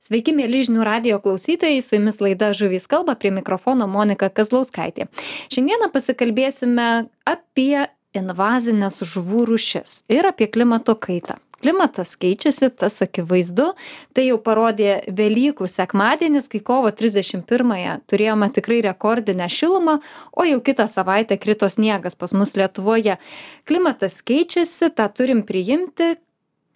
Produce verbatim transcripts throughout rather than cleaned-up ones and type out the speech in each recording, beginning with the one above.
Sveiki, mėly žinių radijo klausytojai, su jumis laida Žuvys kalba, prie mikrofono Monika Kazlauskaitė. Šiandieną pasikalbėsime apie invazinės žuvų rūšis ir apie klimato kaitą. Klimatas keičiasi, tas akivaizdu, tai jau parodė Velykų sekmadienis, kai kovo trisdešimt pirmąją turėjome tikrai rekordinę šilumą, o jau kitą savaitę krito sniegas pas mus Lietuvoje. Klimatas keičiasi, tą turim priimti.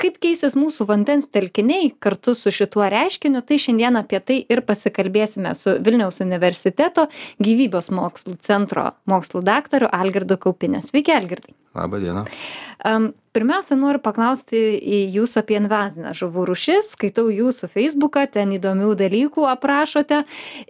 Kaip keisis mūsų vandens telkiniai kartu su šituo reiškiniu, tai šiandien apie tai ir pasikalbėsime su Vilniaus universiteto gyvybės mokslų centro mokslų daktaru Algirdu Kaupiniu. Sveiki, Algirdai. Labą dieną. Um, pirmiausia, noriu paklausti jūsų apie invazinę žuvų rūšis. Skaitau jūsų Facebooką, ten įdomių dalykų aprašote.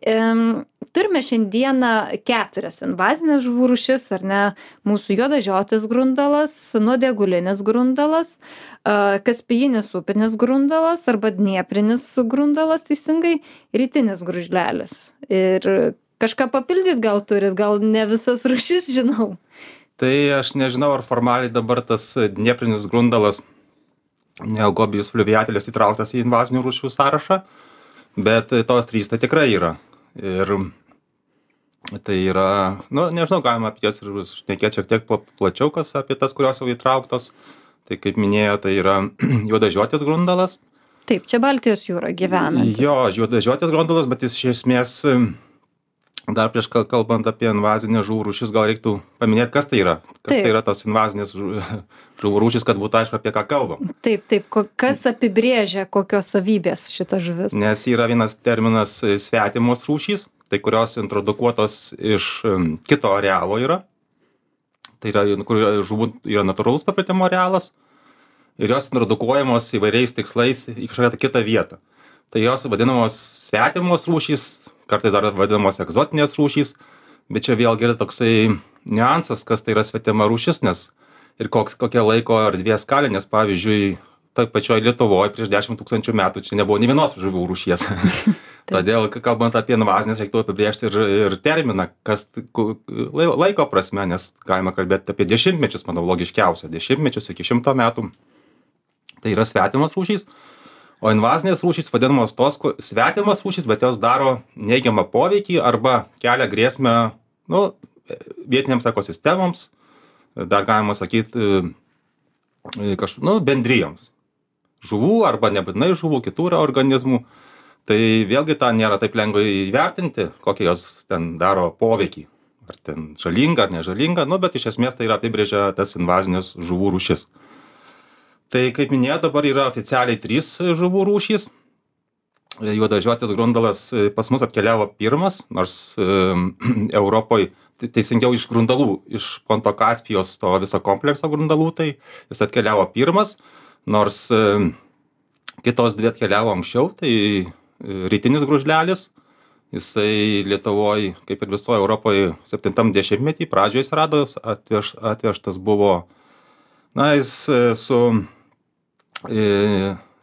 Um, turime šiandieną keturias invazinės žuvų rūšis, ar ne? Mūsų juodažiotis grundalas, nuodėgulinis grundalas, uh, kaspijinis upinis grundalas arba dnieprinis grundalas, teisingai, rytinis gružlelis. Ir kažką papildyt gal turit, gal ne visas rūšis žinau. Tai aš nežinau, ar formaliai dabar tas dnieprinis grundalas Neogobijus fluviatilis įtrauktas į invazinių rūšių sąrašą, bet tos trys tai tikrai yra. Ir tai yra, nu, nežinau, galima apie jas ir šnekėti šiek tiek plačiau, kas apie tas, kurios jau įtrauktos. Tai kaip minėjo, tai yra juodažiotis grundalas. Taip, čia Baltijos jūra gyvenantis. Jo, juodažiotis grundalas, bet jis iš esmės... Dar prieš kalbant apie invazinę žuvų rūšis, gal reiktų paminėti, kas tai yra. Kas Taip. tai yra tos invazinės žuvų rūšis, kad būtų aišku, apie ką kalbam. Taip, taip. Kas apibrėžia, kokios savybės šita žuvis? Nes yra vienas terminas svetimos rūšys, tai kurios introdukuotos iš kito arealo yra. Tai yra, kur žuvų yra natūralus paplitimo arealas. Ir jos introdukuojamos įvairiais tikslais į kažkokią kitą vietą. Tai jos vadinamos svetimos rūšys, kartais dar vadinamos egzotinės rūšys, bet čia vėlgi yra toksai niuansas, kas tai yra svetima rūšis, nes ir koks, kokia laiko erdvės skalė, nes pavyzdžiui, toj pačioj Lietuvoje prieš dešimt tūkstančių metų čia nebuvo nė vienos žuvų rūšies. Todėl, kalbant apie invazinės, reiktų apibrėžti ir, ir terminą, kas laiko prasme, nes galima kalbėti apie dešimtmečius, manau, logiškiausia, dešimtmečius iki šimto metų. Tai yra svetimos rūšys. O invazinės rūšys vadinamos tos svetimos rūšys, bet jos daro neigiamą poveikį arba kelia grėsmę nu, vietinėms ekosistemoms, dar galima sakyti kaž, nu, bendrijoms. Žuvų arba nebūtinai žuvų, kitų organizmų. Tai vėlgi tą nėra taip lengvai įvertinti, kokie jos ten daro poveikį. Ar ten žalinga ar nežalinga, nu, bet iš esmės tai yra apibrėžia tas invazinės žuvų rūšis. Tai, kaip minėjau, dabar yra oficialiai trys žuvų rūšys. Juodažiotis grundalas pas mus atkeliavo pirmas, nors e, Europoje, teisingiau iš grundalų, iš Ponto Kaspijos to viso komplekso grundalų, tai jis atkeliavo pirmas, nors e, kitos dvi atkeliavo anksčiau, tai e, rytinis gružlelis. Jisai Lietuvoje, kaip ir visoje Europoje, septintam dešimtmetį pradžioje jis rado, atveš, atvežtas buvo, na, jis e, su...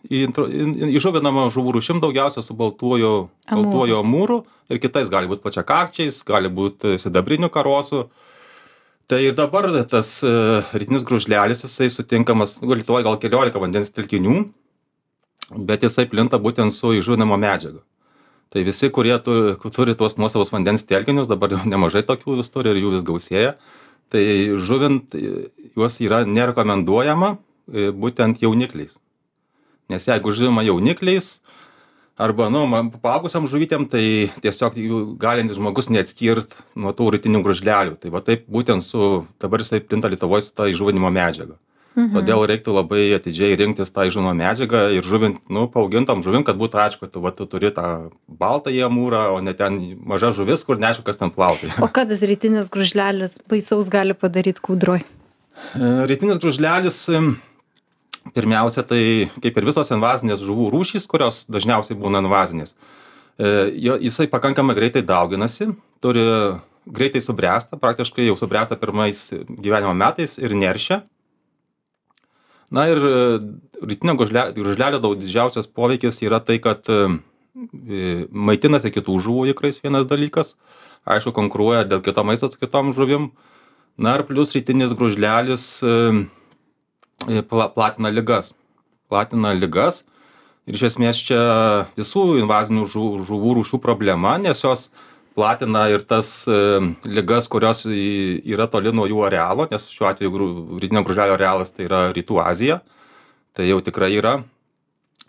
įžuvinama žuvų rūšim daugiausia su baltuoju, baltuoju amūru ir kitais gali būti plačiakakčiais, gali būti sidabriniu karosu. Tai ir dabar tas rytinis gružlelis, jisai sutinkamas, Lietuvoje gal keliolika vandens telkinių, bet jisai plinta būtent su įžuvinama medžiaga. Tai visi, kurie turi, turi tuos nuosavus vandens telkinius, dabar jau nemažai tokių vis turi ir jų vis gausėja, tai žuvint juos yra nerekomenduojama būtent jaunikliais. Nes jeigu žuvima jaunikliais arba, nu, paaugusiam žuvytėm, tai tiesiog galintis žmogus neatskirt nuo tų rytinių gružlelių. Tai va taip būtent su, dabar jisai plinta Lietuvoje su ta įžuvinimo medžiaga. Mhm. Todėl reiktų labai atidžiai rinktis tą įžuvinimo medžiagą ir žuvint, nu, paaugintam žuvim, kad būtų aišku, kad tu, va, tu turi tą baltąjį amūrą, o ne ten maža žuvis, kur neaišku, kas ten plaukia. O ką tas rytinis gružlelis baisaus gali padaryti kūdroj? Rytinis gružlelis... Pirmiausia, tai kaip ir visos invazinės žuvų rūšys, kurios dažniausiai būna invazinės, jisai pakankamai greitai dauginasi, turi greitai subręsta, praktiškai jau subręsta pirmais gyvenimo metais ir neršia. Na ir rytinio gružlelio daug didžiausias poveikis yra tai, kad maitinasi kitų žuvų ikrais vienas dalykas, aišku, konkuruoja dėl kito maisto su kitom žuvim. Na ir plius rytinis gružlelis platina ligas. Platina ligas Ir iš esmės čia visų invazinių žuvų rūšių problema, nes jos platina ir tas ligas, kurios yra toli nuo jų arealo, nes šiuo atveju rytinio gružlelio arealas tai yra Rytų Azija, tai jau tikrai yra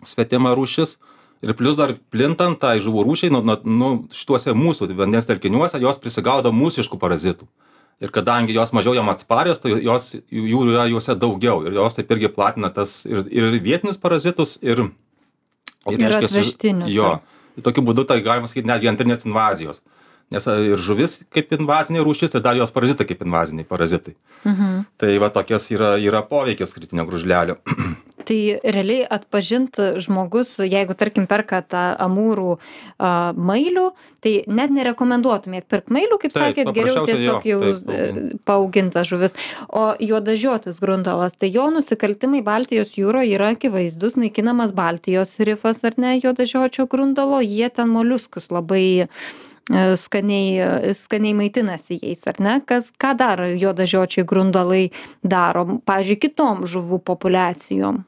svetima rūšis. Ir plius dar plintant tai žuvų rūšiai, nu, nu, šituose mūsų vandens telkiniuose jos prisigaudo mūsiškų parazitų. Ir kadangi jos mažiau jam atsparios, tai jos, jų yra juose daugiau. Ir jos taip irgi platina tas ir, ir vietinius parazitus, ir, ir, ir atvežtinius. Jo. Ir tokiu būdu tai galima sakyti netgi antrinės invazijos. Nes ir žuvis kaip invazinė rūšis, ir dar jos parazitai kaip invaziniai parazitai. Mhm. Tai va tokios yra, yra poveikis kritinio gružlelio. Tai realiai atpažint žmogus, jeigu tarkim perka tą amūrų a, mailių, tai net nerekomenduotumėt pirkti mailių, kaip taip, sakėt, geriau tiesiog jo, jau taip, paaugintas žuvis. O juodažiotis grundalas, tai jo nusikaltimai Baltijos jūroje yra akivaizdus, naikinamas Baltijos rifas ar ne juodažiočio grundalo, jie ten moliuskus labai skaniai, skaniai maitinasi jais, ar ne? Kas, ką dar juodažiočiai grundalai daro, pavyzdžiui, kitom žuvų populiacijom?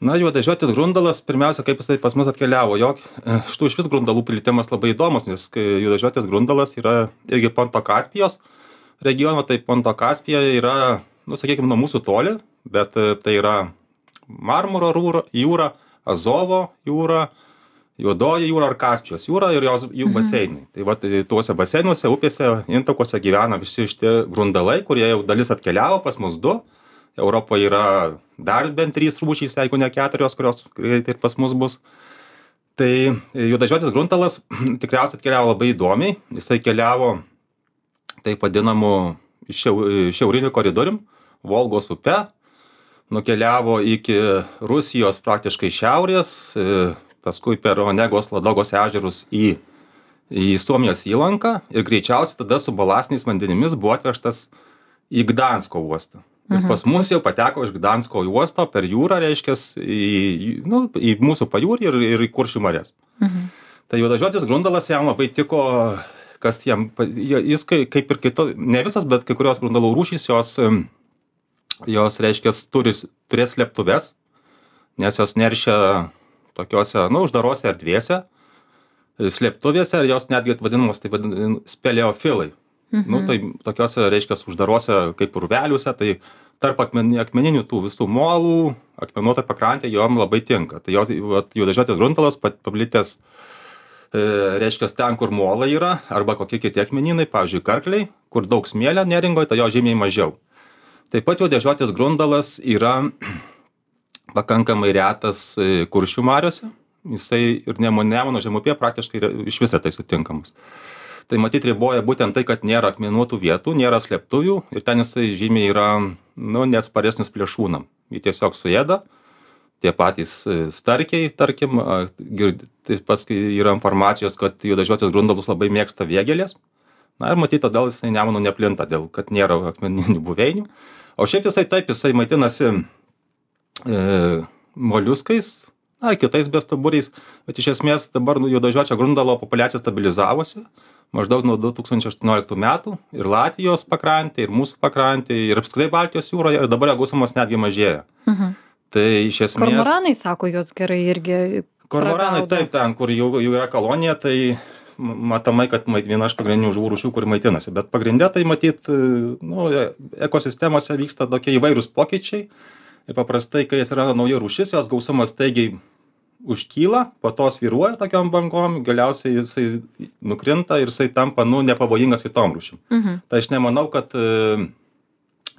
Na, juodažiotis grundalas, pirmiausia, kaip jisai pas mus atkeliavo, jog šitų iš vis grundalų plitimas labai įdomus, nes juodažiotis grundalas yra irgi Ponto Kaspijos regiono, tai Ponto Kaspija yra, nu, sakykime, nuo mūsų toli, bet tai yra Marmuro jūra, Azovo jūra, Juodoji jūra ar Kaspijos jūra ir jos jų baseinai. Mhm. Tai va, tuose baseinuose, upėse, intakuose gyvena visi šitie grundalai, kurie jau dalis atkeliavo pas mus du. Europoje yra dar bent trys rūšys, jeigu ne keturios, kurios greitai ir pas mus bus. Tai juodažiotis grundalas tikriausiai atkeliavo labai įdomiai. Jisai keliavo taip vadinamu šiauriniu koridorium, Volgos upe, nukeliavo iki Rusijos praktiškai šiaurės, paskui per Onegos, Ladogos ežerus į, į Suomijos įlanką ir greičiausiai tada su balastiniais vandenimis buvo atvežtas į Gdansko uostą. Ir pas mus jau pateko iš Gdansko uosto per jūrą, reiškia, į, nu, į mūsų pajūrį ir, ir į Kuršių marias. Mhm. Tai juodažiotis grundalas jam labai tiko, kas jam, jis kaip ir kito, ne visas, bet kai kurios grundalų rūšys, jos, jos reiškia, turi, turės slėptuves, nes jos neršia tokiose, nu, uždarose erdvėse, slėptuvėse, ir jos netgi vadinamos, tai vadinamos speleofilai. Mhm. Nu, tai tokiose, reiškia, uždarose kaip urveliuose, tai tarp akmeni, akmeninių tų visų molų, akmenuota pakrantė jom labai tinka. Tai juodažiotis grundalas paplitęs, e, reiškia, ten, kur molai yra, arba kokie kiti akmeninai, pavyzdžiui, karkliai, kur daug smėlio neringoje, tai jo žymiai mažiau. Taip pat juodažiotis grundalas yra pakankamai retas Kuršių mariose, jisai ir Nemuno žemupyje praktiškai iš viso tai sutinkamas. Tai matyt riboja būtent tai, kad nėra akmenuotų vietų, nėra slėptuvių ir ten jisai žymiai yra, nu, neatsparesnis plėšrūnam. Jį tiesiog suėda, tie patys starkiai, tarkim, taip paskui yra informacijos, kad juodažiotis grundalus labai mėgsta vėgėlės. Na ir matyt, todėl jisai Nemunu neplinta, dėl kad nėra akmeninių buveinių. O šiaip jisai taip, jisai maitinasi E, moliuskais, ar kitais bestuburiais, bet iš esmės dabar juodažiočio grundalo populiacija stabilizavosi maždaug nuo du tūkstančiai aštuonioliktų metų ir Latvijos pakrantė, ir mūsų pakrantė, ir apskritai Baltijos jūroje, ir dabar jo gausumas netgi mažėja. Mhm. Tai iš esmės... Kormoranai, sako, jos gerai irgi... Kormoranai taip, ten, kur jų, jų yra kolonija, tai matomai, kad viena iš pagrindinių žuvų rūšių, kuri maitinasi, bet pagrindė tai matyt, nu, ekosistemose vyksta tokie įvairūs pokyčiai. Ir paprastai, kai atsiranda nauja rūšis, jos gausumas staigiai užkyla, po to svyruoja tokiom bangom, galiausiai jisai nukrinta ir jisai tampa, nu, nepavojingas kitom rūšim. Mhm. Tai aš nemanau, kad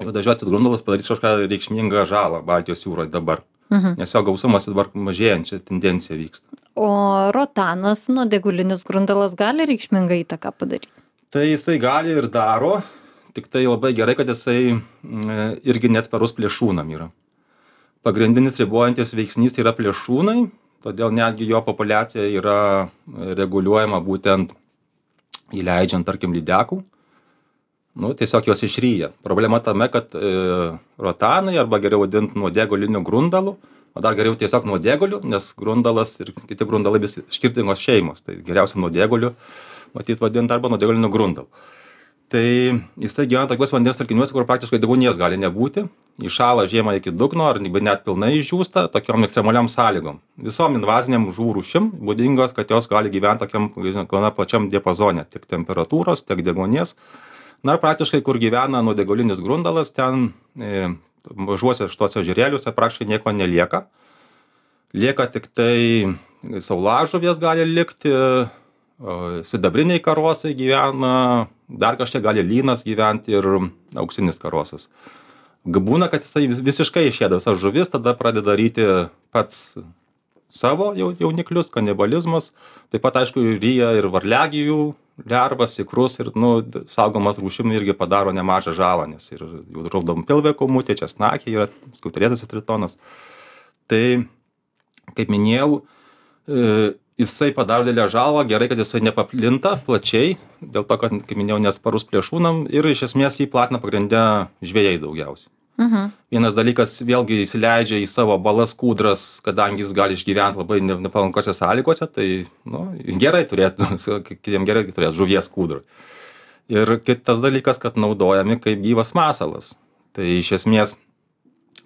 juodažiotis grundalas padarys kažką reikšmingą žalą Baltijos jūroje dabar. Mhm. Nes jo gausumas dabar mažėjančia tendencija vyksta. O rotanas, nuodėgulinis grundalas, gali reikšmingą įtaką padaryti? Tai jisai gali ir daro, tik tai labai gerai, kad jisai irgi neatsparus plėšrūnam yra. Pagrindinis ribojantis veiksnys yra plėšrūnai, todėl netgi jo populiacija yra reguliuojama būtent įleidžiant, tarkim, lydekų. Nu, tiesiog jos išryja. Problema tame, kad e, rotanai, arba geriau vadinti nuodėguliniu grundalu, o dar geriau tiesiog nuodėguliu, nes grundalas ir kiti grundalai vis skirtingos šeimos. Tai geriausia nuodėguliu, matyt, vadinti arba nuodėguliniu grundalu. Tai jisai gyvena tokiuose vandens telkiniuose, kur praktiškai deguonies gali nebūti. Įšąla žiemą iki dugno ar net pilnai išdžiūsta tokiom ekstremaliom sąlygom. Visom invaziniam žuvų rūšim būdingos, kad jos gali gyventi tokiam gana plačiam diapazone, tiek temperatūros, tiek deguonies. Na ir praktiškai, kur gyvena nuodėgulinis grundalas, ten e, mažuose šituose ežerėliuose praktiškai nieko nelieka. Lieka tik tai saulažuvės gali likti, sidabriniai karosai gyvena, dar kažkiek gali lynas gyventi ir auksinis karosas. Būna, kad jisai visiškai išėda visas žuvis, tada pradeda daryti pats savo jauniklius, kanibalizmas. Taip pat, aišku, ryja ir varliagyvių lervas, ikrus ir nu, saugomas rūšim irgi padaro nemažą žalą, nes ir jų raudonpilvė kūmutė, česnakė yra skiauterėtasis tritonas. Tai, kaip minėjau, e, jisai padaro didelę žalą, gerai, kad jisai nepaplinta plačiai, dėl to, kad, kaip minėjau, nesparus plėšrūnam ir iš esmės jį platina pagrindę žvejai daugiausiai. Mhm. Vienas dalykas, vėlgi įsileidžia į savo balas kūdras, kadangi jis gali išgyventi labai nepalankose sąlygose, tai nu, gerai turėtų, kitiem gerai turėtų žuvies kūdrą. Ir kitas dalykas, kad naudojami kaip gyvas masalas. Tai iš esmės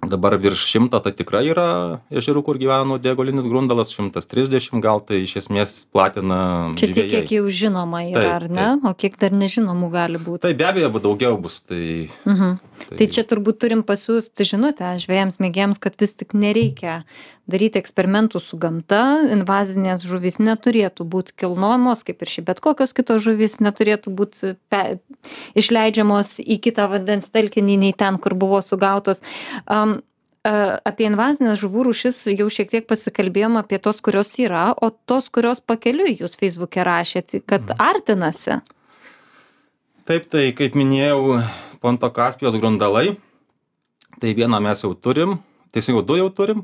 dabar virš šimto tai tikrai yra ežerų, kur gyvena nuodėgulinis grundalas, šimtas trisdešimt gal, tai iš esmės platina Čia žvejai. tiek, kiek jau žinoma yra, Taip, ar ne? O kiek dar nežinomų gali būti? Tai be abejo, daugiau bus. Tai, Mhm. tai... Tai čia turbūt turim pasiūsti žinutę žvejams mėgėjams, kad vis tik nereikia daryti eksperimentų su gamta, invazinės žuvys neturėtų būti kilnojamos, kaip ir šiaip bet kokios kitos žuvys neturėtų būti pe... išleidžiamos į kitą vandens telkinį nei ten, kur buvo sugautos. Um, Apie invazinės žuvų rūšis jau šiek tiek pasikalbėjom apie tos, kurios yra, o tos, kurios pakeliui jūs Facebook'e rašėte, kad artinasi. Taip, tai kaip minėjau, Ponto Kaspijos grundalai, tai vieną mes jau turim, tiesiog du jau turim,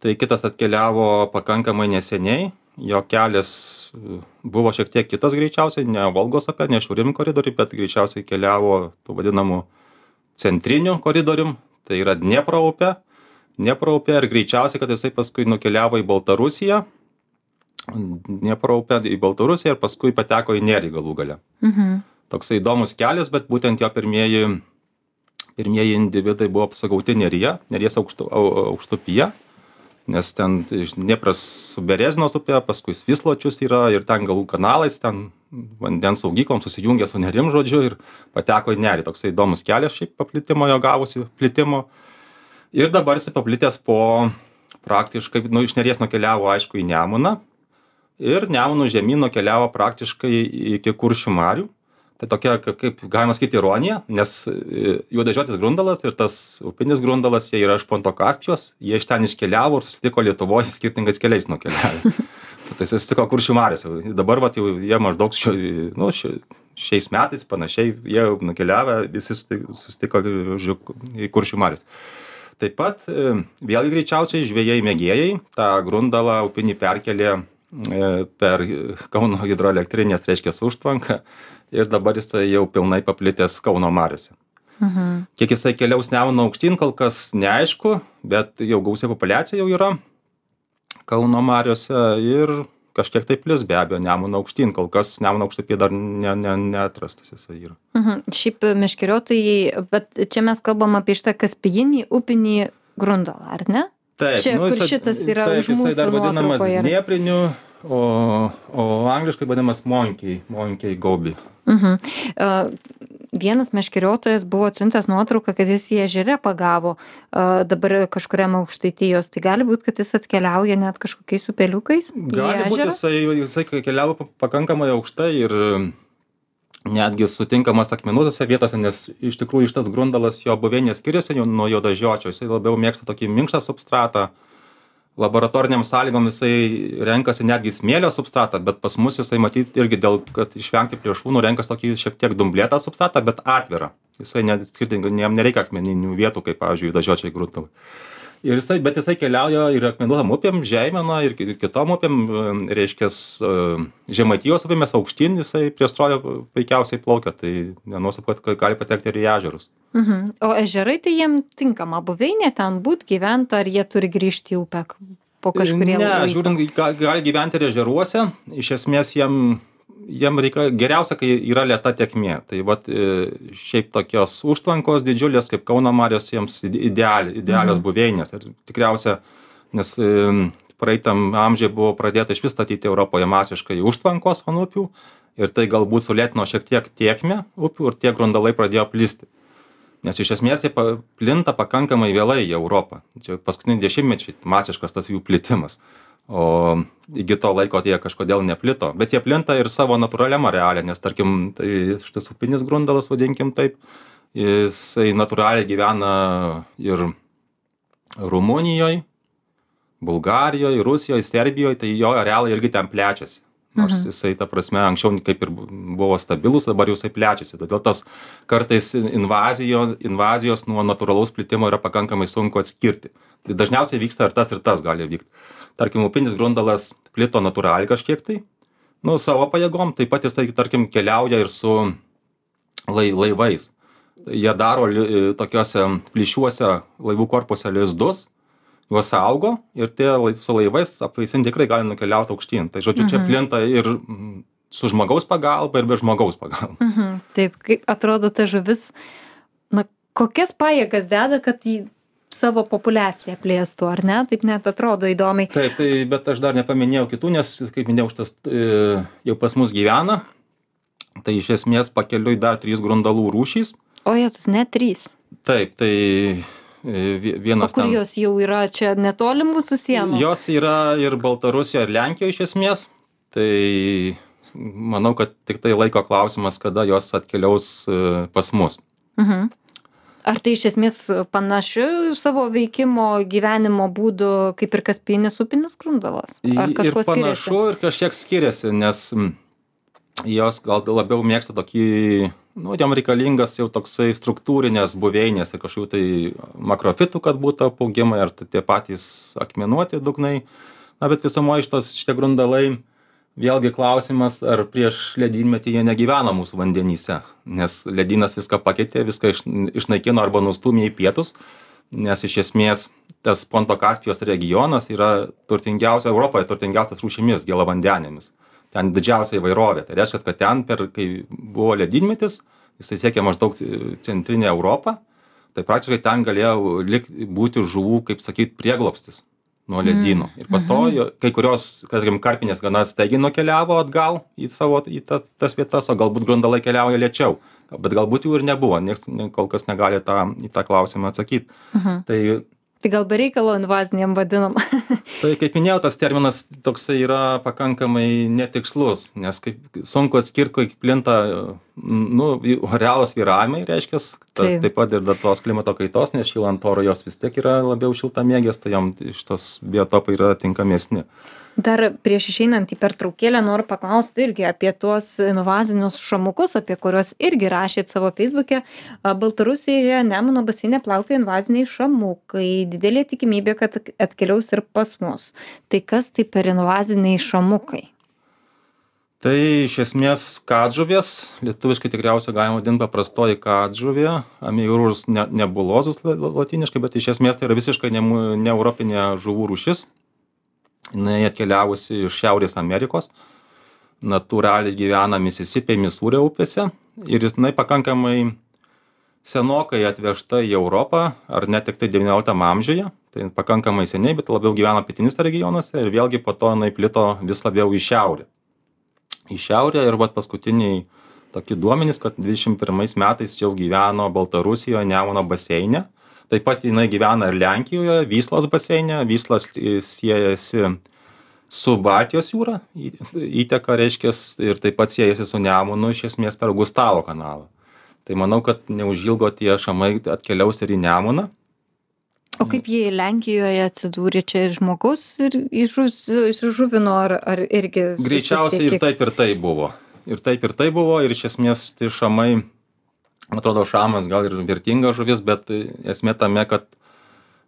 tai kitas atkeliavo pakankamai neseniai, jo kelias buvo šiek tiek kitas greičiausiai, ne Volgos upė, ne šiaurinį koridorių, bet greičiausiai keliavo tų vadinamų centrinių koridorium. Tai yra Dniepro upė, Dniepro upė ir greičiausiai, kad jisai paskui nukeliavo į Baltarusiją, Dniepro upė į Baltarusiją ir paskui pateko į Nerį galų gale. Mhm. Toksai įdomus kelias, bet būtent jo pirmieji, pirmieji individai buvo sugauti Neryje, Neries aukštu, aukštupyje, nes ten Dniepras su Berezinos upė, paskui Svisločius yra ir ten galų kanalais, ten vandens saugyklom susijungė su Nerim, žodžiu, ir pateko į Nerį. Toksai įdomus kelias šiaip paplitimo jo gavosi, plitimo. Ir dabar jis paplitęs po praktiškai, nu, iš Neries nukeliavo, aišku, į Nemuną. Ir Nemunų žemyn nukeliavo praktiškai iki Kuršių marių. Tai tokia, kaip galima sakyti, ironija, nes juodažiotis grundalas ir tas upinis grundalas, jie yra iš Ponto Kaspijos, jie iš ten iškeliavo ir susitiko Lietuvoje skirtingais keliais nukeliavę. Tai susitiko Kuršių mariose. Dabar vat, jau jie maždaug šio, nu, šio, šiais metais panašiai, jie nukeliavę, visi susitiko į Kuršių marius. Taip pat vėlgi greičiausiai žvejai mėgėjai tą grundalą upinį perkelė per Kauno hidroelektrinės, reiškia, užtvanką ir dabar jisai jau pilnai paplitęs Kauno mariose. Mhm. Kiek jisai keliaus Nemuno aukštyn, kol kas neaišku, bet jau gausia populiacija jau yra Kauno mariose ir kažkiek tai plis be abejo Nemuno aukštyn, kol kas Nemuno aukštupyje dar ne, ne, neatrastas jisai yra. Mhm. Šiaip meškeriotojai, bet čia mes kalbam apie šitą kaspijinį upinį grundalą, ar ne? Taip, čia, nu, kur jisai, šitas yra taip, už mūsų jisai dar vadinamas nuotraukoje. Dniepriniu, o, o angliškai vadinamas Monkey, Monkey Goby. Mhm. Uh, vienas meškeriotojas buvo atsiuntęs nuotrauką, kad jis į ežere pagavo uh, dabar kažkuriam Aukštaitijos. Tai gali būti, kad jis atkeliauja net kažkokiais upeliukais į Gali būti, ežerą? jisai, jisai keliavo pakankamai aukštai ir netgi sutinkamas akmenuotose vietose, nes iš tikrųjų šitas grundalas jo buveinė skiriasi nuo juodažiočio, jisai labiau mėgsta tokį minkštą substratą. Laboratoriniam sąlygom jisai renkasi netgi smėlio substratą, bet pas mus jisai matyti irgi dėl, kad išvengti plėšrūnų renkasi tokį šiek tiek dumblėtą substratą, bet atvirą. Jisai net skirtingai, jam nereikia akmeninių vietų, kaip pavyzdžiui juodažiočiai grundalai. Ir jisai, bet jisai keliauja ir akmenuotam upėm, Žeimena ir kitom upėm, reiškia, Žemaitijos upėmis aukštyn, jisai prie strojo puikiausiai plaukia, tai nenuostabu, kad gali patekti ir į ežerus. Mhm. O ežerai tai jiem tinkama buveinė ten būt, gyventi, ar jie turi grįžti į upę po kažkurie Ne, laiko? žiūrint, gali gyventi ir ežeruose, iš esmės jiem jiem reikia geriausia, kai yra lėta tėkmė. Tai vat šiaip tokios užtvankos didžiulės kaip Kauno marios jiems ideali, idealios buveinės. Ir tikriausia, nes praeitam amžiuje buvo pradėta iš vis statyti Europoje masiškai užtvankos ant upių ir tai galbūt sulėtino šiek tiek tėkmę upių ir tie grundalai pradėjo plisti. Nes iš esmės jie plinta pakankamai vėlai į Europą. Čia paskutiniai dešimtmečiai masiškas tas jų plitimas. O iki to laiko jie kažkodėl neplito. Bet jie plinta ir savo natūraliam areale, nes tarkim, tai šitas upinis grundalas, vadinkim taip, jisai natūraliai gyvena ir Rumunijoje, Bulgarijoje, Rusijoje, Serbijoje, tai jo arealai irgi ten plečiasi. Nors mhm. jisai, ta prasme, anksčiau kaip ir buvo stabilus, dabar jau jisai plečiasi. Todėl tos kartais invazijo, invazijos nuo natūralaus plitimo yra pakankamai sunku atskirti. Tai dažniausiai vyksta ir tas, ir tas gali vykti. Tarkim, upinis grundalas plito natūraliai kažkiek tai, nu, savo pajėgom, taip pat jisai, tarkim, keliauja ir su lai, laivais. Jie daro li, tokiuose plyšiuose laivų korpuse lizdus, juos saugo ir tie su laivais apvaisinti tikrai gali nukeliauti aukštyn. Tai žodžiu, mhm. čia plinta ir su žmogaus pagalba, ir be žmogaus pagalba. Mhm. Taip, kaip atrodo ta žuvis, na, kokias pajėgas deda, kad jį savo populiaciją plėstų, ar ne? Taip net atrodo įdomiai. Taip, tai, bet aš dar nepaminėjau kitų, nes, kaip minėjau, šitas e, jau pas mus gyvena. Tai iš esmės pakeliui dar trys grundalų rūšys. O jėtus, net trys. Taip, tai vienas. O kur ten... jos jau yra čia netoli mūsų sienų? Jos yra ir Baltarusijoje, ir Lenkijoje iš esmės. Tai manau, kad tik tai laiko klausimas, kada jos atkeliaus pas mus. Mhm. Ar tai iš esmės panašiu savo veikimo gyvenimo būdu kaip ir kaspinis upinis grundalas? Ar kažkuo skiriasi? Ir panašu, ir kažkiek skiriasi, nes jos gal labiau mėgsta tokį, nu, jam reikalingas jau toksai struktūrinės buveinės ir kažkokių tai makrofitų, kad būtų apaugimai, ar tie patys akmenuoti dugnai. Na, bet visumoje šitos šitie grundalai, vėlgi klausimas, ar prieš ledynmetį jie negyvena mūsų vandenyse, nes ledynas viską pakeitė, viską iš, išnaikino arba nustūmė į pietus, nes iš esmės tas Ponto Kaspijos regionas yra turtingiausia, Europoje turtingiausias rūšimis gėlavandenėmis. Ten didžiausia įvairovė. Tai reiškia, kad ten, per, kai buvo ledynmetis, jisai siekė maždaug centrinę Europą, tai praktiškai ten galėjo lik, būti žuvų, kaip sakyt, prieglobstis nuo ledyno. Ir pastojo, kai kurios, tarkim, karpinės gana staigiai nukeliavo atgal į savo, į ta, tas vietas, o galbūt grundalai keliauja lėčiau. Bet galbūt jų ir nebuvo, nieks kol kas negali tą, į tą klausimą atsakyti. Mhm. Tai, tai gal be reikalo invaziniam vadinam? Tai kaip minėjau, tas terminas toksai yra pakankamai netikslus, nes kaip sunku atskirti, kai plinta, nu, realos vyravimai, reiškia, ta, taip. taip pat ir dėl tos klimato kaitos, nes šylant oro jos vis tiek yra labiau šiltamėgės, tai jom šitos biotopai yra tinkamesni. Dar prieš išeinant į pertraukėlę noriu paklausti irgi apie tuos invazinius šamukus, apie kuriuos irgi rašėt savo feisbuke. Baltarusijoje Nemuno baseine plaukioja invaziniai šamukai. Didelė tikimybė, kad atkeliaus ir pas mus. Tai kas tai per invaziniai šamukai? Tai iš esmės kadžuvės, lietuviškai tikriausiai galima vadinti paprastoji kadžuvė, Ameiurus nebulozus latiniškai, bet iš esmės tai yra visiškai ne, ne europinė žuvų rūšis. Jinai atkeliavusi iš Šiaurės Amerikos, natūraliai gyvena Misisipėje, Misūrio upėse ir jinai pakankamai senokai atvežta į Europą, ar net tik tai devynioliktam amžiuje, tai pakankamai seniai, bet labiau gyvena pietiniuose regionuose ir vėlgi po to jinai plito vis labiau į šiaurę. Į šiaurę ir vat paskutiniai tokie duomenys, kad dvidešimt pirmais metais jau gyveno Baltarusijoje Nemuno baseine. Taip pat jinai gyvena ir Lenkijoje, Vyslos baseine. Vyslas siejasi su Baltijos jūra, įteka, reiškia, ir taip pat siejasi su Nemunu, iš esmės per Gustavo kanalą. Tai manau, kad neužilgo tie šamai atkeliaus ir į Nemuną. O kaip jie Lenkijoje atsidūrė, čia žmogus ir išžuvino, ar, ar irgi... Greičiausiai ir taip ir tai buvo. Ir taip ir tai buvo, ir iš esmės tai šamai... Man atrodo, šamas gal ir vertinga žuvis, bet esmė tame, kad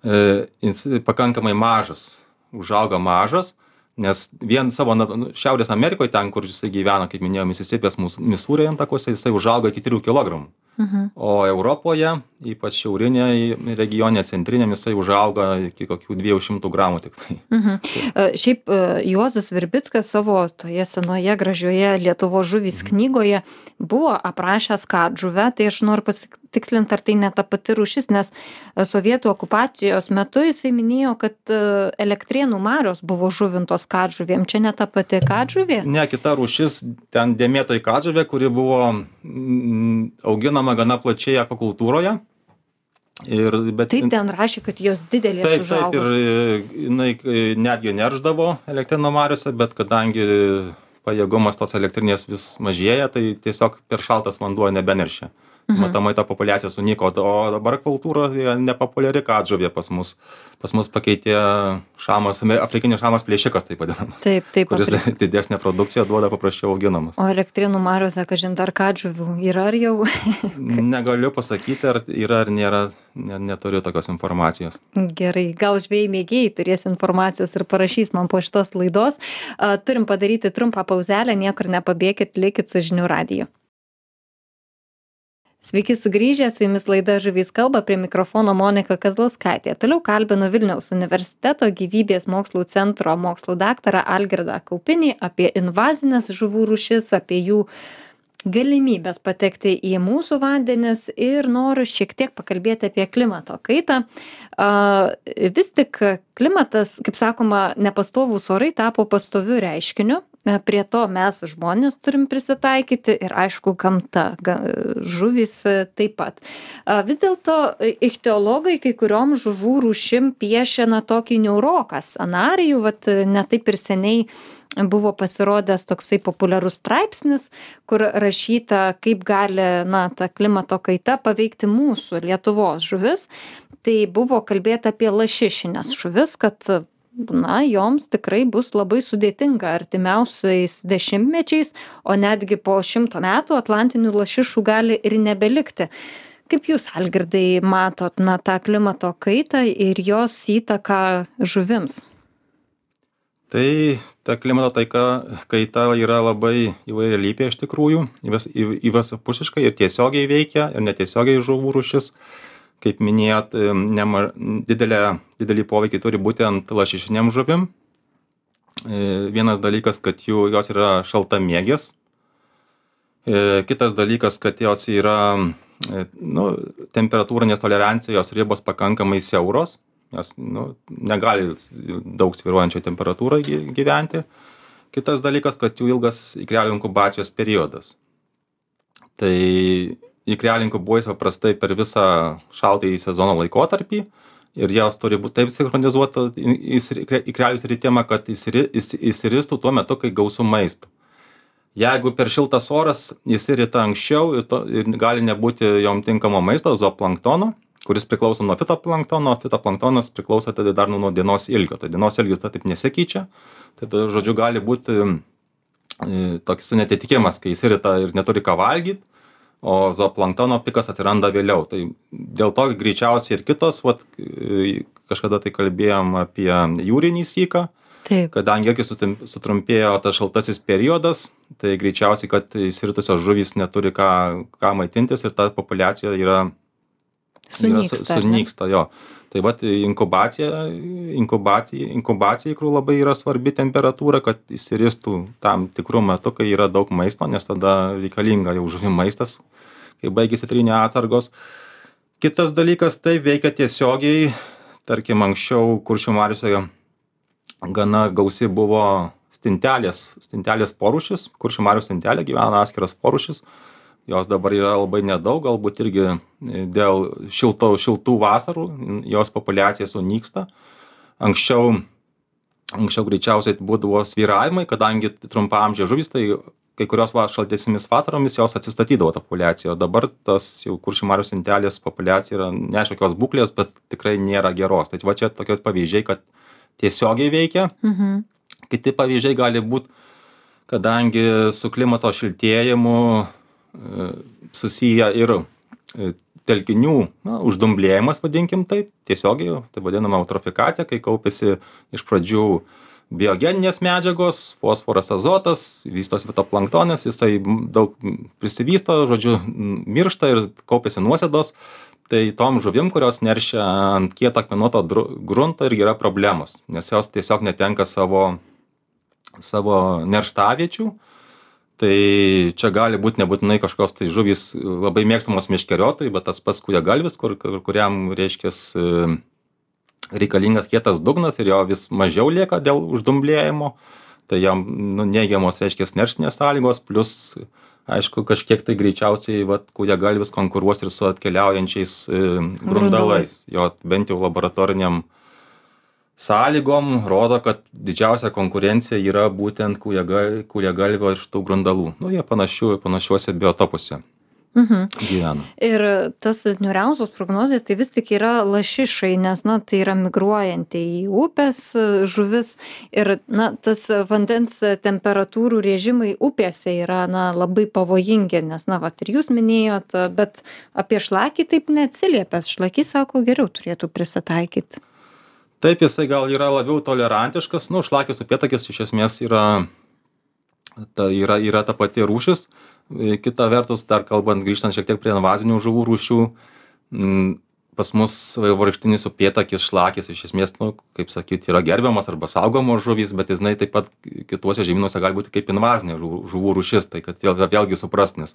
e, jis pakankamai mažas, užauga mažas, nes vien savo nu, Šiaurės Amerikoje, ten, kur jisai gyvena, kaip minėjau, Misisipės Misūrio intakuose, jisai užauga iki trijų kilogramų. Mhm. o Europoje, ypač šiaurinėje regione, centrinėm, jisai užauga iki kokių dviejų šimtų gramų tik tai. Mhm. E, Šiaip e, Juozas Virbickas savo toje senoje gražioje Lietuvos žuvys knygoje buvo aprašęs katžuvę, tai aš noriu pasitikslinti, ar tai ne ta pati rūšis, nes e, sovietų okupacijos metu jisai minėjo, kad e, Elektrėnų marios buvo žuvintos katžuvėm. Čia ne ta pati katžuvė? Ne, kita rūšis, ten dėmėtoji katžuvė, kuri buvo mm, auginama gana plačiai akvakultūroje. Ir, bet, Taip, ten rašė, kad jos didelės taip, užaugo. taip, ir jinai netgi nerždavo Elektrėnų mariose, bet kadangi pajėgumas tos elektrinės vis mažėja, tai tiesiog per šaltas vanduo nebeneršia. Mhm. Matomai ta populiacija sunyko, o dabar kultūra nepopuliari katžuvė pas mus. Pas mus pakeitė šamas, afrikinis šamas plėšikas, taip vadinamas. Taip, taip. Kuris Afri- didesnę produkciją duoda, paprasčiau auginamas. O Elektrėnų mariose, kažin dar katžuvių yra ar jau? Negaliu pasakyti, ar yra ar nėra, ne, neturiu tokios informacijos. Gerai, gal žvejai mėgėjai turės informacijos ir parašys man po šitos laidos. A, Turim padaryti trumpą pauzelę, niekur nepabėkit, likit su žinių radiju. Sveiki sugrįžę, su jumis laida Žuvys kalba, prie mikrofono Monika Kazlauskaitė. Toliau kalbinu Vilniaus universiteto gyvybės mokslų centro mokslų daktarą Algirdą Kaupinį apie invazines žuvų rūšis, apie jų galimybės patekti į mūsų vandenis ir noriu šiek tiek pakalbėti apie klimato kaitą. A, Vis tik klimatas, kaip sakoma, nepastovūs orai tapo pastoviu reiškiniu. E, Prie to mes žmonės turim prisitaikyti ir aišku gamta, ga- žuvys e, taip pat. A, Vis dėlto e, ichtiologai kai kuriom žuvų rūšim piešia na tokį niauroką scenarijų, vat e, ne taip ir seniai buvo pasirodęs toksai populiarus straipsnis, kur rašyta, kaip gali na ta klimato kaita paveikti mūsų Lietuvos žuvis. Tai buvo kalbėta apie lašišines žuvis, kad na joms tikrai bus labai sudėtinga artimiausiais dešimtmečiais, o netgi po šimto metų atlantinių lašišų gali ir nebelikti. Kaip jūs, Algirdai, matot na tą klimato kaitą ir jos įtaką žuvims? Tai ta klimato taika, kaita yra labai įvairialypė iš tikrųjų, įvas- į- įvairiapusiškai ir tiesiogiai veikia, ir netiesiogiai žuvų rūšis. Kaip minėjot, em, nema, didelė, didelį poveikį turi būtent lašišinėm žuvim. E, Vienas dalykas, kad jų, jos yra šaltamėgės. E, Kitas dalykas, kad jos yra e, nu, temperatūrinės tolerancijos ribos pakankamai siauros. Jos nu, negali daug svyruojančio temperatūrai gy- gyventi. Kitas dalykas, kad jų ilgas ikrelių inkubacijos periodas. Tai ikrelių inkubuojasi paprastai per visą šaltąjį sezono laikotarpį ir jos turi būti taip sinchronizuota ikrelių sritimą, kad įsiri- įsi- įsiristų tuo metu, kai gausu maisto. Jeigu per šiltas oras įsirita anksčiau ir, to, ir gali nebūti jom tinkamo maisto, zooplanktono, kuris priklauso nuo fitoplanktono, fitoplanktonas priklauso tada dar nuo dienos ilgio. Tai dienos ilgis ta taip nesikeičia. Tai tada, žodžiu, gali būti e, toks netitikimas, kai įsirita ir neturi ką valgyti, o zooplanktono pikas atsiranda vėliau. Tai dėl to greičiausiai ir kitos, vat, e, kažkada tai kalbėjom apie jūrinį syką, Taip. kadangi irgi sutim- sutrumpėjo tas šaltasis periodas, tai greičiausiai, kad įsiritusios žuvys neturi ką, ką maitintis ir ta populiacija yra yra su- Sunyksta, ar ne? sunyksta, jo. Tai vat inkubacija, inkubacija, inkubacija ikrų labai yra svarbi temperatūra, kad įsiristų tam tikrų metų, kai yra daug maisto, nes tada reikalinga jau žuvim maistas, kai baigėsi trynė atsargos. Kitas dalykas, tai veikia tiesiogiai, tarkim, anksčiau Kuršių mariose gana gausi buvo stintelės, stintelės porūšis, Kuršių marių stintelė gyvena atskiras porūšis. Jos dabar yra labai nedaug, galbūt irgi dėl šilto, šiltų vasarų jos populiacija sunyksta. Anksčiau, anksčiau greičiausiai būdavo svyravimai, kadangi trumpaamžė žuvis, tai kai kurios va, šaltesnėmis vasaromis jos atsistatydavo ta populiacija. O dabar tas jau Kuršių marių stintelės populiacija yra neaiškios būklės, bet tikrai nėra geros. Tai va čia tokios pavyzdžiai, kad tiesiogiai veikia. Mhm. Kiti pavyzdžiai gali būti, kadangi su klimato šiltėjimu e, susiję ir e, telkinių na, uždumblėjimas, vadinkim taip, tiesiogiai, tai vadinama eutrofikacija, kai kaupiasi iš pradžių biogeninės medžiagos, fosforas, azotas, vystosi fitoplanktonas, jisai daug prisivysto, žodžiu, miršta ir kaupiasi nuosėdos. Tai tom žuvim, kurios neršia ant kieto akmenuoto grunto, irgi yra problemos, nes jos tiesiog netenka savo, savo nerštaviečių. Tai čia gali būti nebūtinai kažkokios tai žuvys labai mėgstamos meškeriotojai, bet tas pats kūjagalvis, kur, kuriam, reiškia, reikalingas kietas dugnas ir jo vis mažiau lieka dėl uždumblėjimo, tai jam nu, neigiamos, reiškia, nerštinės sąlygos, plus aišku, kažkiek tai greičiausiai vat, kūjagalvis konkuruos ir su atkeliaujančiais e, grundalais. Jo bent jau laboratoriniam sąlygom rodo, kad didžiausia konkurencija yra būtent kūjagalvio ir tų grundalų. Nu, jie panašiu, panašiuose biotopuose Mhm. gyvena. Ir tas niūriausios prognozijas tai vis tik yra lašišai, nes na, tai yra migruojanti į upės žuvis ir na, tas vandens temperatūrų režimai upėse yra na, labai pavojingi, nes na, vat, ir jūs minėjot, bet apie šlakį taip neatsiliepęs. Šlakys sako, geriau turėtų prisitaikyti. Taip, jisai gal yra labiau tolerantiškas. Nu, šlakis upėtakis iš esmės yra ta, yra, yra ta pati rūšis. Kita vertus, dar kalbant, grįžtant šiek tiek prie invazinių žuvų rūšių, pas mus vaivorykštinis upėtakis, šlakis iš esmės, nu, kaip sakyti, yra gerbiamas arba saugomos žuvys, bet jis taip pat kituose žemynuose gali būti kaip invazinė žuvų, žuvų rūšis, tai kad vėl, vėlgi suprasnis.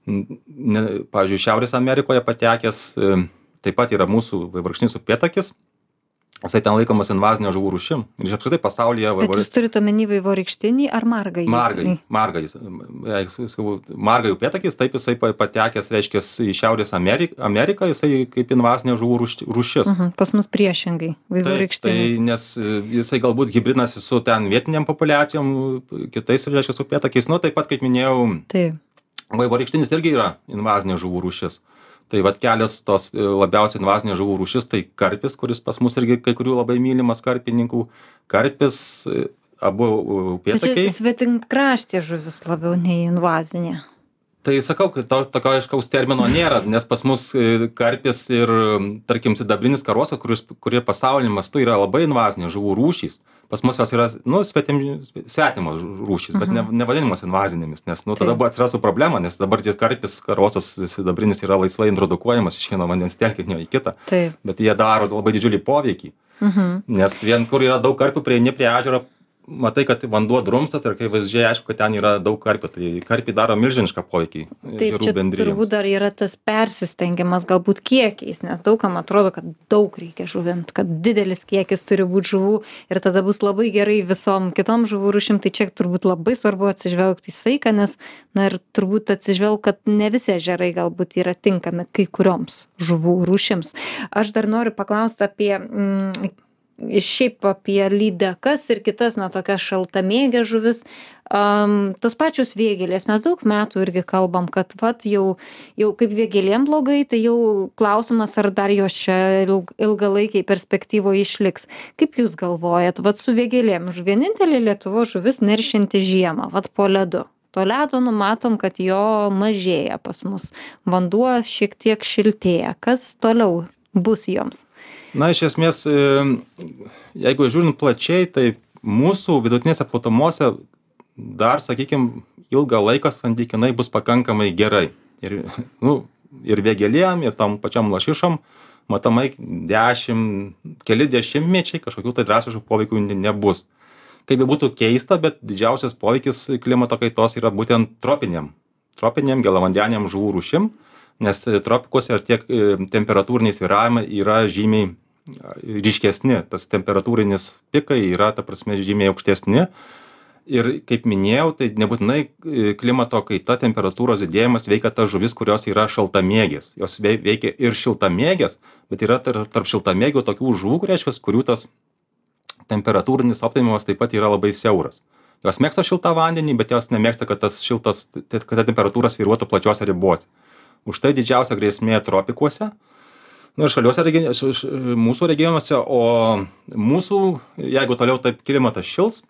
Pavyzdžiui, Šiaurės Amerikoje patekęs taip pat yra mūsų vaivorykštinis upėtakis. Jisai ten laikomas invazinė žuvų rūšim. Ir apskritai pasaulyje... Bet jūs turite omeny vaivorykštinį ar margai? Margai. Margai. Margai upėtakis, taip jisai patekęs, reiškia, į Šiaurės Ameriką, Ameriką, jisai kaip invazinė žuvų rūšis. Uh -huh. Pas mus priešingai. Vaivorykštinis. Tai, nes jisai galbūt hibridinasi su ten vietiniam populiacijom, kitais, reiškia, upėtakiais. Nu, taip pat, kaip minėjau, taip. Vaivorykštinis irgi yra invazinė žuvų rūšis. Tai vat kelios tos labiausiai invazinės žuvų rūšis, tai karpis, kuris pas mus irgi kai kurių labai mylimas karpininkų. Karpis, abu upėtakiai. Čia svetimkraštė žuvis labiau nei invazinė. Tai sakau, kad to, tokio aiškaus termino nėra, nes pas mus karpis ir, tarkim, sidabrinis karosas, kuris, kurie pasauliniu mastu yra labai invazinės žuvų rūšys. Pas mus jos yra, nu, svetim, svetimos rūšys, bet ne, nevadinimos invazinėmis, nes, nu, tada buvo atsirasų problema, nes dabar tie karpis, karosas, sidabrinis yra laisvai introdukuojamas iš vieno vandens telkinio į kitą. Taip. Bet jie daro labai didžiulį poveikį, mhm. nes vien kur yra daug karpių, prieini prie ežero, matai, kad vanduo drumstas ir kai vaizdžiai aišku, kad ten yra daug karpių, tai karpiai daro milžinišką poveikį ežerų bendrijoms. Taip, čia turbūt dar yra tas persistengimas galbūt kiekiais, nes daugam atrodo, kad daug reikia žuvint, kad didelis kiekis turi būti žuvų ir tada bus labai gerai visom kitom žuvų rūšim, tai čia turbūt labai svarbu atsižvelgti į saiką, nes na ir turbūt atsižvelgti, kad ne visi ežerai galbūt yra tinkami kai kurioms žuvų rūšims. Aš dar noriu paklausti apie mm, šiaip apie lydekas ir kitas, na, tokias šaltamėgės žuvis. Um, tos pačios vėgėlės, mes daug metų irgi kalbam, kad vat jau, jau kaip vėgėlėm blogai, tai jau klausimas, ar dar jos čia ilg, ilgalaikiai perspektyvoje išliks. Kaip jūs galvojat, vat su vėgėlėm, vienintelė Lietuvos žuvis neršinti žiemą, vat po ledu. To ledo numatom, kad jo mažėja pas mus. Vanduo šiek tiek šiltėja. Kas toliau bus joms? Na, iš esmės, jeigu žiūrint plačiai, tai mūsų vidutinėse platumose dar, sakykime, ilgą laiką santykinai bus pakankamai gerai. Ir, nu, ir vėgėlėm, ir tam pačiam lašišam, matomai dešimt, keli dešimtmečiai kažkokių tai drastiškų poveikių nebus. Kaip be būtų keista, bet didžiausias poveikis klimato kaitos yra būtent tropiniam, tropiniam gėlavandeniniam žuvų rūšim, nes tropikuose tiek temperatūriniai svyravimai yra žymiai ryškesni, tas temperatūrinis pikai yra, ta prasme, žymiai aukštesni. Ir kaip minėjau, tai nebūtinai klimato kaita, temperatūros didėjimas veikia tas žuvis, kurios yra šaltamėgės. Jos veikia ir šiltamėgės, bet yra tarp šiltamėgių tokių žuvų, reiškia, kurių tas temperatūrinis optimumas taip pat yra labai siauras. Jos mėgsta šiltą vandenį, bet jos nemėgsta, kad tas šiltas, kad ta temperatūra svyruotų plačiose ribose. Už tai didžiausia grėsmė tropikuose, nu ir šaliuose mūsų regionuose, o mūsų, jeigu toliau taip klimatas šils,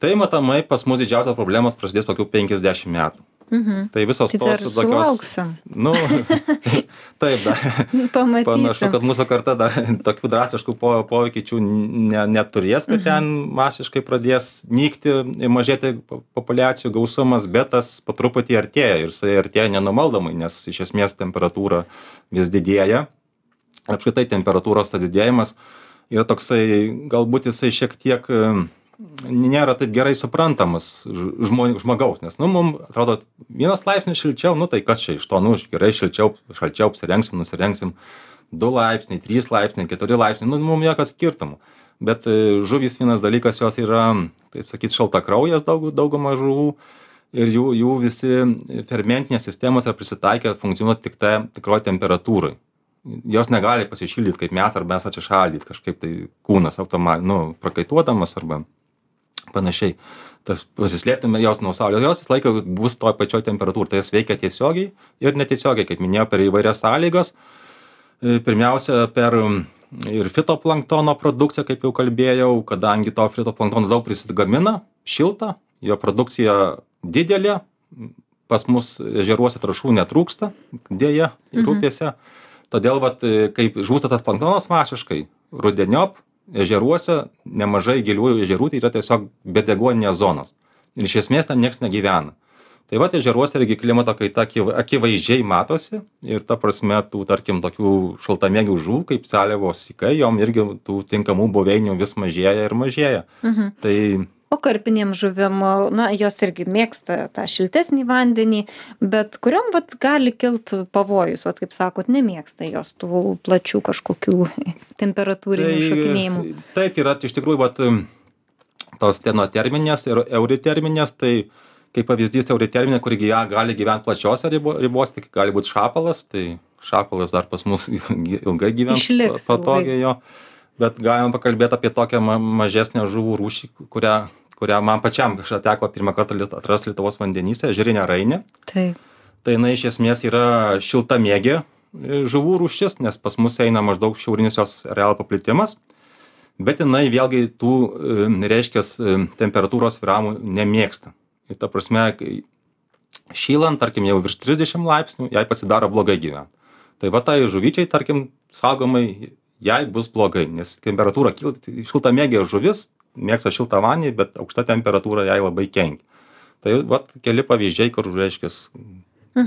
tai matomai pas mus didžiausias problemas prasidės kokių penkiasdešimt metų. Mhm. Tai visos Tai dar tos tokios... sulauksim. Nu, taip, da. Pamatysim. Panašu, kad mūsų karta dar tokių drastiškų po, pokyčių ne, neturės, kad ten masiškai pradės nykti, mažėti po- populiacijų gausumas, bet tas po truputį artėja ir jisai artėja nenumaldomai, nes iš esmės temperatūra vis didėja. Apskritai temperatūros tas didėjimas yra toksai, galbūt jisai šiek tiek e, nėra taip gerai suprantamas žmo, žmogaus, nes, nu, mums atrodo, vienas laipsnis šilčiau, nu, tai kas čia iš to, nu, gerai šilčiau, šalčiau apsirengsim, nusirengsim, du laipsniai, trys laipsniai, keturi laipsniai, nu, mums jokio skirtumo. Bet e, žuvys vienas dalykas, jos yra, taip sakyt, šaltakraujas daug, dauguma žuvų ir jų, jų visi fermentinės sistemos yra prisitaikę funkcionuoti tik tai tikroj temperatūrai. Jos negali pasišildyti kaip mes, arba mes atsišaldyti kažkaip tai kūnas automa, nu, prakaituodamas arba panašiai. Tas pasislėptume jos nuo saulės, jos visą laiką bus toj pačioj temperatūrai, tai jas veikia tiesiogiai ir netiesiogiai, kaip minėjau, per įvairias sąlygas. E, Pirmiausia, per ir fitoplanktono produkciją, kaip jau kalbėjau, kadangi to fitoplanktono daug prisigamina, šilta, jo produkcija didelė, pas mus ežeruose trąšų netrūksta, dėja, ir upėse. Todėl, vat, kaip žūsta tas planktonas masiškai, rudeniop ežeruose nemažai giliųjų ežerų, tai yra tiesiog bedeguoninės zonos. Ir iš esmės ten nieks negyvena. Tai vat ežeruose irgi klimato kaita akiv- akivaizdžiai matosi ir ta prasme tų, tarkim, tokių šaltamėgių žuvų, kaip seliavos sykai, jom irgi tų tinkamų buveinių vis mažėja ir mažėja. Mhm. Tai O karpinėm žuvim, na, jos irgi mėgsta tą šiltesnį vandenį, bet kuriam vat gali kilt pavojus, vat kaip sakot, nemėgsta jos tų plačių kažkokių temperatūrinių šokinėjimų. Taip yra, iš tikrųjų, vat, tos stenoterminės ir euriterminės, tai kaip pavyzdys euriterminė, kuri gyja- gali gyventi plačiose ribo, ribos, tik gali būti šapalas, tai šapalas dar pas mus ilgai gyvens Išliks patogiai jo. Bet galim pakalbėti apie tokią ma mažesnę žuvų rūšį, kurią, kurią man pačiam kažkada teko pirmą kartą liet- atrasti Lietuvos vandenyse, ežerinė rainė. Taip. Tai jinai iš esmės yra šiltamėgė e, žuvų rūšis, nes pas mus eina maždaug šiaurinis jos arealo paplitimas. Bet jinai vėlgi tų, e, reiškia, temperatūros svyravimų nemėgsta. Ir ta prasme, kai šylant, tarkim, jau virš trisdešimt laipsnių, jai pasidaro blogai gyventi. Tai va tai žuvyčiai, tarkim, saugomai, jai bus blogai, nes temperatūra kyla, šiltamėgė žuvis mėgsta šiltą vandenį, bet aukšta temperatūra jai labai kenkia. Tai vat keli pavyzdžiai, kur, reiškia,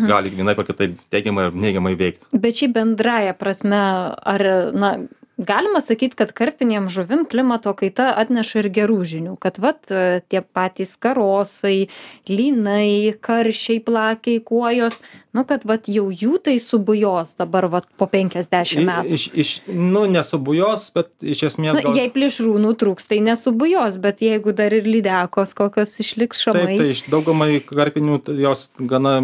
gali vienaip ar kitaip teigiamai ar neigiamai veikti. Bet šiaip bendraja prasme, ar, na, galima sakyt, kad karpinėm žuvim klimato kaita atneša ir gerų žinių, kad vat tie patys karosai, lynai, karšiai, plakiai, kuojos, nu, kad vat jau jų tai subujos dabar vat po penkiasdešimt metų. Iš, iš, nu, nesubujos, bet iš esmės Na, jei plėšrūnų trūks, tai nesubujos, bet jeigu dar ir lydekos kokios išliks šamai. Taip, tai iš daugumai karpinių tai jos gana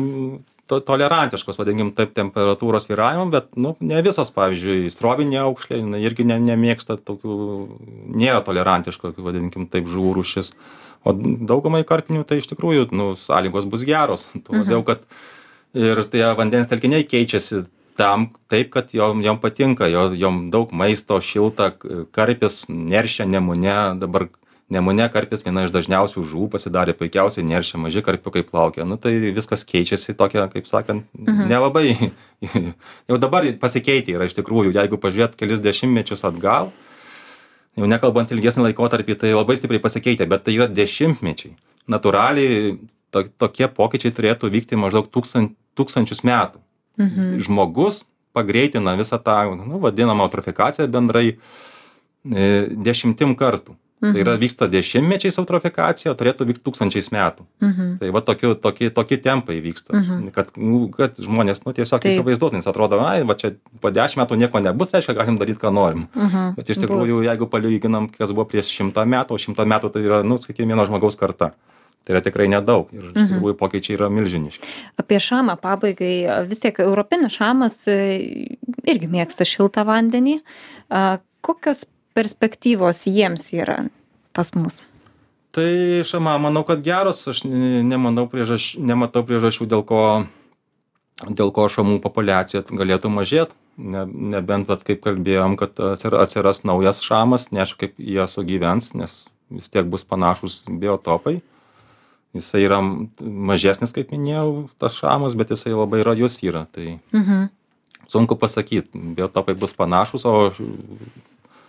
to, tolerantiškos, vadinkim, taip, temperatūros svyravimam, bet, nu, ne visos, pavyzdžiui, strovinė aukšlė, jinai irgi ne, nemėgsta tokių, nėra tolerantiško, vadinkim, taip, žuvų rūšis. O daugumai karpinių tai iš tikrųjų, nu, sąlygos bus geros. Tuo labiau, kad ir tie vandens telkiniai keičiasi tam taip, kad jom, jom patinka, jom, jom daug maisto, šilta, karpis neršia Nemune, dabar Nemune karpis viena iš dažniausių žuvų pasidarė, puikiausiai neršia, maži karpiukai plaukia. Nu tai viskas keičiasi tokia, kaip sakant, mhm. nelabai, jau dabar pasikeitė yra iš tikrųjų, jeigu pažiūrėt kelis dešimtmečius atgal, jau nekalbant ilgesnį laikotarpį, tai labai stipriai pasikeitė, bet tai yra dešimtmečiai. Natūraliai to, tokie pokyčiai turėtų vykti maždaug tūkstant, tūkstančius metų. Mhm. Žmogus pagreitina visą tą, nu, vadinamą eutrofikaciją bendrai e, dešimtim kartų. Mhm. Tai yra vyksta dešimtmečiais eutrofikacija, o turėtų vykti tūkstančiais metų. Mhm. Tai va tokie, tokie, tokie tempai vyksta, mhm. kad, nu, kad žmonės nu, tiesiog Taip. įsivaizduotų, nes atrodo, ai, va čia po dešimt metų nieko nebus, reiškia, galim daryti, ką norim. Mhm. Bet iš tikrųjų, Bus. jeigu palyginam, kas buvo prieš šimtą metų, o šimtą metų tai yra, nu, sakykime, vieno žmogaus karta. Tai yra tikrai nedaug ir iš tikrųjų pokyčiai yra milžiniški. Apie šamą pabaigai, vis tiek europinis šamas irgi mėgsta šiltą vandenį. Kokios perspektyvos jiems yra pas mus? Tai šama, manau, kad geros, aš nemanau priežaš, nematau priežasčių, dėl ko, dėl ko šamų populiacija galėtų mažėti. Ne, nebent, vat, kaip kalbėjom, kad atsiras naujas šamas, neaišku, kaip jie sugyvens, nes vis tiek bus panašus biotopai. Jisai yra mažesnis, kaip minėjau, tas šamas, bet jisai labai rajus yra. Tai Mhm. sunku pasakyti, biotopai bus panašus, o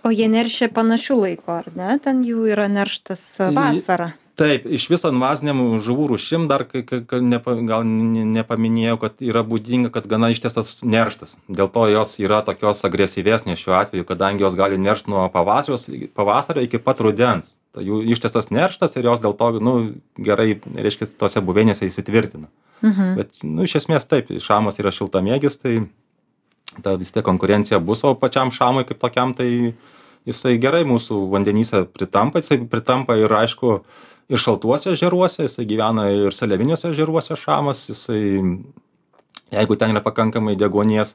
O jie neršia panašių laikų, ar ne? Ten jų yra nerštas vasarą. Taip, iš viso invaziniam žuvų rūšim dar kai, kai, kai nepa, gal ne- nepaminėjau, kad yra būdinga, kad gana ištęstas nerštas. Dėl to jos yra tokios agresyvesnės šiuo atveju, kadangi jos gali neršti nuo pavasario, pavasario iki pat rudens. Tai jų ištęstas nerštas ir jos dėl to nu, gerai, reiškia, tose buveinėse įsitvirtina. Mhm. Bet nu, iš esmės taip, šamas yra šiltamėgis, tai ta vis tiek konkurencija bus, o pačiam šamui kaip tokiam, tai jisai gerai mūsų vandenyse pritampa, jisai pritampa ir aišku, ir šaltuose ežeruose, jisai gyvena ir seliaviniuose ežeruose šamas, jisai, jeigu ten yra pakankamai deguonies,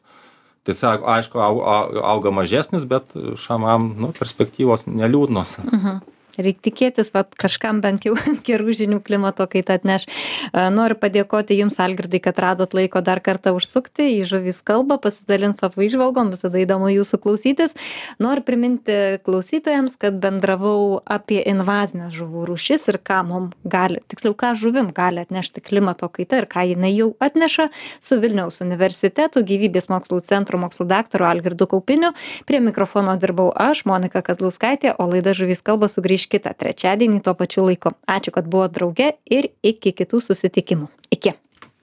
tai jisai, aišku, au, au, auga mažesnis, bet šamam nu, perspektyvos neliūdnos. Mhm. Reikia tikėtis, vat, kažkam bent jau gerų žinių klimato kaita atneš. E, Noriu padėkoti Jums, Algirdai, kad radot laiko dar kartą užsukti į Žuvys kalbą, pasidalinti savo įžvalgom, visada įdomu Jūsų klausytis. Noriu priminti klausytojams, kad bendravau apie invazinės žuvų rūšis ir ką mums gali, tiksliau, ką žuvim gali atnešti klimato kaita ir ką jinai jau atneša su Vilniaus universiteto gyvybės mokslų centro mokslo daktaru Algirdu Kaupiniu. Prie mikrofono dirbau aš, Monika Kazlauskaitė, o laida Žuvys kalba sugrįš kitą trečiadienį tuo pačiu laiku. Ačiū, kad buvo drauge ir iki kitų susitikimų. Iki.